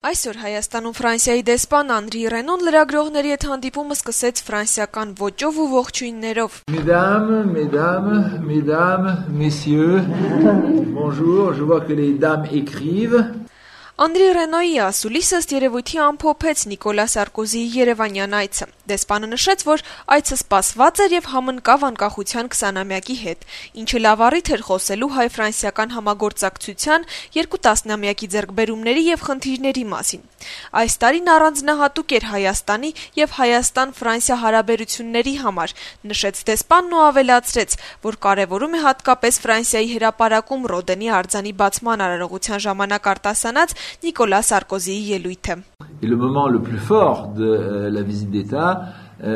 Այսօր Հայաստանում Ֆրանսիայի դեսպան Անդրի Ռենոն լրագրողների հետ հանդիպումը սկսեց ֆրանսիական ոճով ու ողջույններով. Mesdames, messieurs, bonjour, je vois que les dames écrivent. Անդրի Ռենոյի ասուլիսը ըստ երևույթի ամփոփեց Նիկոլա Սարկոզիի երևանյան այցը։ Դեսպանը նշեց, որ այցը սպասված էր եւ համընկավ անկախության 20-ամյակի հետ, ինչը լավ առիթ էր խոսելու հայ-ֆրանսիական համագործակցության 2 տասնամյակի ձեռքբերումների եւ խնդիրների մասին։ Այս տարին առանձնահատուկ էր Հայաստանի եւ Հայաստան-Ֆրանսիա հարաբերությունների համար, նշեց դեսպանն ու ավելացրեց, որ կարեւորում է հատկապես Ֆրանսիայի հրապարակում Ռոդենի արձանի բացման արարողության ժամանակ արտասանած Նիկոլա Սարկոզիի ելույթը։ Et le moment le plus fort de la visite d'État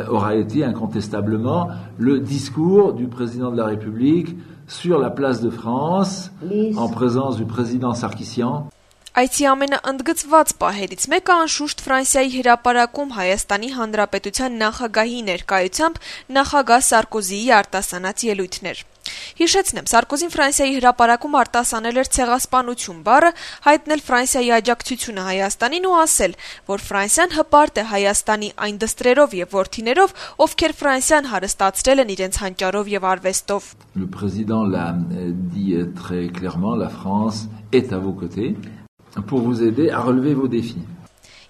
aura été incontestablement le discours du président de la République sur la place de France en présence du président Sarkissian. Այցի ամենաընդգծված պահերից մեկը անշուշտ Ֆրանսիայի հրապարակում Հայաստանի Հանրապետության նախագահի ներկայությամբ նախագահ Սարկոզիի արտասանած ելույթն էր։ Հիշեցնեմ, Սարկոզին Ֆրանսիայի հրապարակում արտասանել էր ցեղասպանություն բառը, հայտնել Ֆրանսիայի աջակցությունը Հայաստանին ու ասել, որ Ֆրանսիան հպարտ է Հայաստանի այն դստրերով եւ որդիներով, ովքեր Ֆրանսիան հարստացրել են իրենց հանճարով եւ արվեստով։ Le président l'a dit très clairement, la France est à vos côtés pour vous aider à relever vos défis.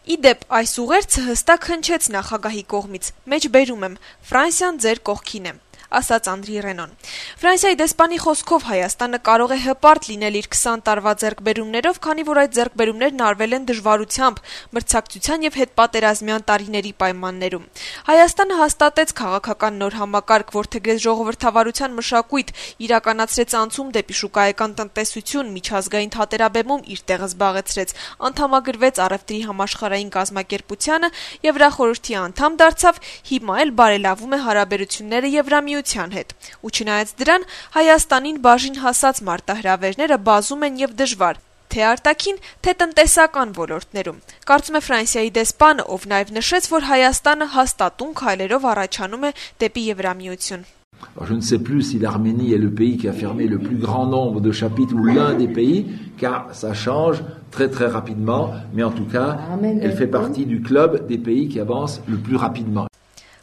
Իդեպ այս ուղերձը հստակ հնչեց նախագահի կողմից։ Մեջ բերում եմ, Ֆրանսիան ձեր կողքին է, ասաց Անդրի Ռենոն։ Ֆրանսիայի դեսպանի խոսքով Հայաստանը կարող է հպարտ լինել իր 20 տարվա ձեռքբերումներով, քանի որ այդ ձեռքբերումներն արվել են դժվարությամբ, մրցակցության եւ հետպատերազմյան տարիների պայմաններում։ Հայաստանը հաստատեց քաղաքական նոր համակարգ, որդեգրեց ժողովրդավարության մշակույթ, իրականացրեց անցում դեպի շուկայական տնտեսություն, միջազգային թատերաբեմում իր տեղը զբաղեցրեց, անդամագրվեց առևտրի համաշխարհային կազմակերպությանը, Եվրախորհրդի անդամ դարձավ, հիմա էլ բարելավում է հարաբերությունները Եվրամիության հետ։ Ու չնայած դրան, Հայաստանին բաժին հասած մարտահրավերները բազում են եւ դժվար, թե արտաքին, թե տնտեսական ոլորտներում։ Կարծում է Ֆրանսիայի դեսպանը, ով նաեւ նշեց, որ Հայաստանը հաստատուն քայլերով առաջանում է դեպի Եվրամիություն։ Alors, je ne sais plus si l'Arménie est le pays qui a fermé le plus grand nombre de chapitres ou l'un des pays, car ça change très très rapidement, mais en tout cas, elle fait partie du club des pays qui avancent le plus rapidement.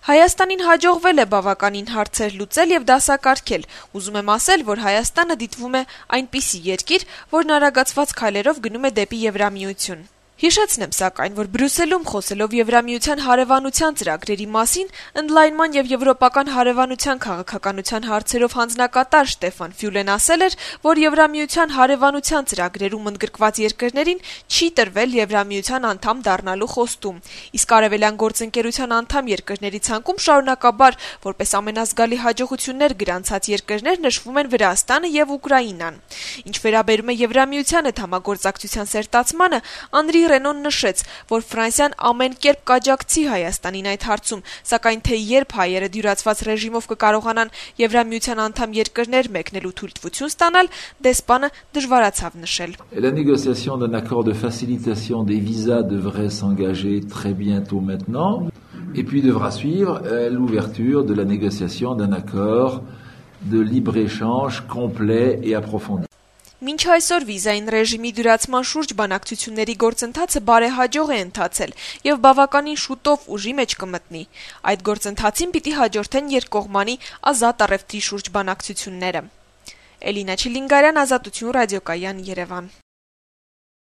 Հայաստանին հաջողվել է բավականին հարցեր լուծել եւ դասակարգել։ Ուզում եմ ասել, որ Հայաստանը դիտվում է այնպիսի երկիր, որն արագացված քայլերով գնում է դեպի Եվրամիություն։ Հիշեցնեմ սակայն, որ Բրյուսելում խոսելով Եվրամիության հարևանության ծրագրերի մասին, ընդլայնման եւ եվրոպական հարևանության քաղաքականության հարցերով հանձնակատար Շտեֆան Ֆյուլեն ասել էր, որ Եվրամիության հարևանության ծրագրերում ընդգրկված երկրներին չի տրվել Եվրամիության անդամ դառնալու խոստում, իսկ արևելյան գործընկերության անդամ երկրների ցանկում շարունակաբար որպես ամենազգալի հաջողություններ գրանցած երկրներ նշվում են Վրաստանը եւ Ուկրաինան։ Ինչ վերաբերում է Եվրամիության հետ համագործակցության սերտացմանը, Անդրի Ռենոն նշեց, որ Ֆրանսիան ամեն կերպ կաջակցի Հայաստանին այդ հարցում, սակայն թե երբ հայերը դյուրացված ռեժիմով կկարողանան Եվրամիության անդամ երկրներ մեկնելու թույլտվություն ստանալ, դեսպանը դժվարացավ նշել։ La négociation d'un accord de facilitation des visas devrait s'engager très bientôt maintenant, et puis devra suivre l'ouverture de la négociation d'un accord de libre-échange complet et approfondi. Մինչ այսօր վիզային ռեժիմի դյուրացման շուրջ բանակցությունների գործընթացը բարեհաջող է ընթացել եւ բավականին շուտով ուժի մեջ կմտնի։ Այդ գործընթացին պիտի հաջորդեն երկկողմանի ազատ առևտրի շուրջ բանակցությունները։ Էլինա Չիլինգարյան, Ազատություն ռադիոկայան, Երևան։